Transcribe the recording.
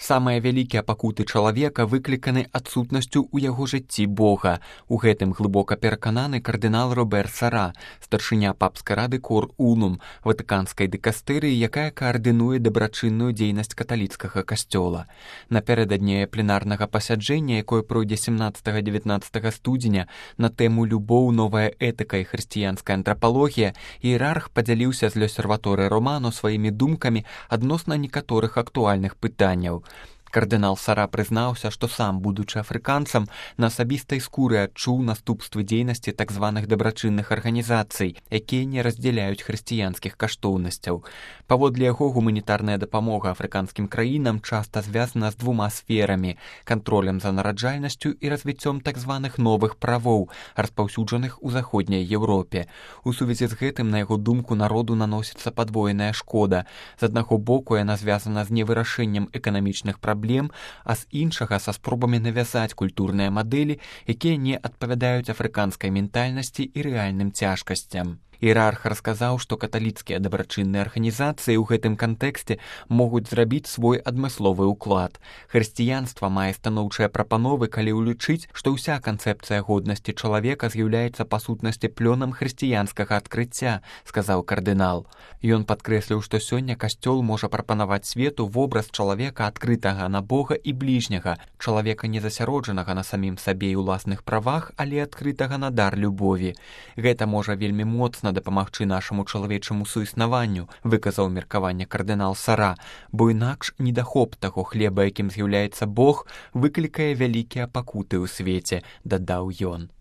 Самыя вялікія пакуты чалавека выкліканы адсутнасцю ў яго жыцці Бога. У гэтым глыбока перакананы кардынал Робер Сара, старшыня папскай рады Кор Унум, ватыканскай дыкастэрыі, якая каардынуе дабрачынную дзейнасць каталіцкага касцёла. Напярэдадні пленарнага пасяджэння, якое пройдзе 17-19 студзеня на тэму «Любоў, новая этыка і хрысціянская антрапалогія», іерарх падзяліўся з L'Osservatore Romano сваімі думкамі адносна некаторых актуальных пытанняў. Кардынал Сара прызнаўся, што сам, будучы афрыканцам, на асабістай скуры адчуў наступствы дзейнасці так званых дабрачынных арганізацый, якія не раздзяляюць хрысціянскіх каштоўнасцяў. Паводле яго, гуманітарная дапамога афрыканскім краінам часта звязана з двума сферамі – кантролем за нараджальнасцю і развіццём так званых новых правоў, распаўсюджаных у заходняй Еўропе. У сувязі з гэтым, на яго думку, народу наносіцца падвоеная шкода. З аднаго боку, яна звязана з невырашэннем эканамічных праблем, а з іншага са спробамі навязаць культурныя мадэлі, якія не адпавядаюць афрыканскай ментальнасці і рэальным цяжкасцям. Іерарх расказаў, што каталіцкія дабрачынныя арганізацыі ў гэтым кантэксце могуць зрабіць свой адмысловы ўклад. Хрысціянства мае станоўчыя прапановы, калі ўлічыць, што ўся канцэпцыя годнасці чалавека з'яўляецца па сутнасці плёнам хрысціянскага адкрыцця, сказаў кардынал. Ён падкрэсліў, што сёння касцёл можа прапанаваць свету вобраз чалавека адкрытага на Бога і бліжняга, чалавека не засяроджанага на самім сабе і ўласных правах, але адкрытага на дар любові. Гэта можа вельмі моцна дапамагчы нашаму чалавечаму суіснаванню, выказаў меркаванне кардынал Сара, бо інакш недахоп таго хлеба, якім з'яўляецца Бог, выклікае вялікія пакуты ў свеце, дадаў ён.